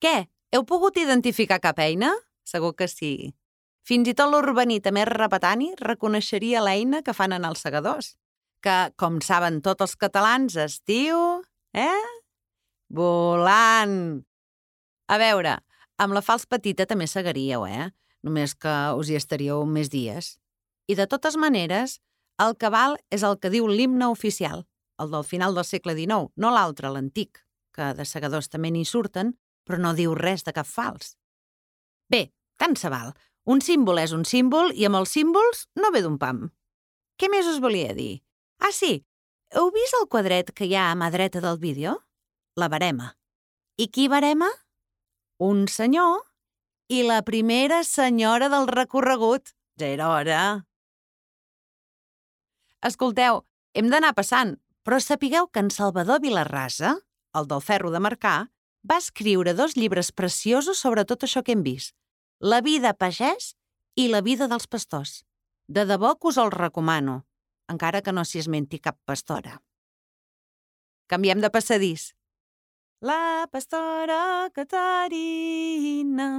Què? Heu pogut identificar cap eina? Segur que sí. Fins i tot l'urbanita més repetani reconeixeria l'eina que fan en els segadors, que, com saben tots els catalans, es diu... Volant! A veure, amb la falç petita també segaríeu, Només que us hi estaríeu més dies. I de totes maneres, el cabal és el que diu l'himne oficial, el del final del segle XIX, no l'altre, l'antic, que de segadors també n'hi surten, però no diu res de cap fals. Bé, tant se val. Un símbol és un símbol i amb els símbols no ve d'un pam. Què més us volia dir? Ah, sí, heu vist el quadret que hi ha a mà dreta del vídeo? La barema. I qui barema? Un senyor i la primera senyora del recorregut. Ja era hora. Escolteu, hem d'anar passant, però sapigueu que en Salvador Vilarrasa, el del ferro de marcar, va escriure 2 llibres preciosos sobre tot això que hem vist. La vida pagès i la vida dels pastors. De debò que us els recomano, encara que no s'hi esmenti cap pastora. Canviem de passadís. La pastora Caterina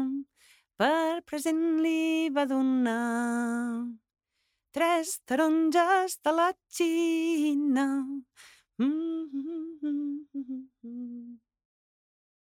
per present li va donar 3 taronges de la Xina.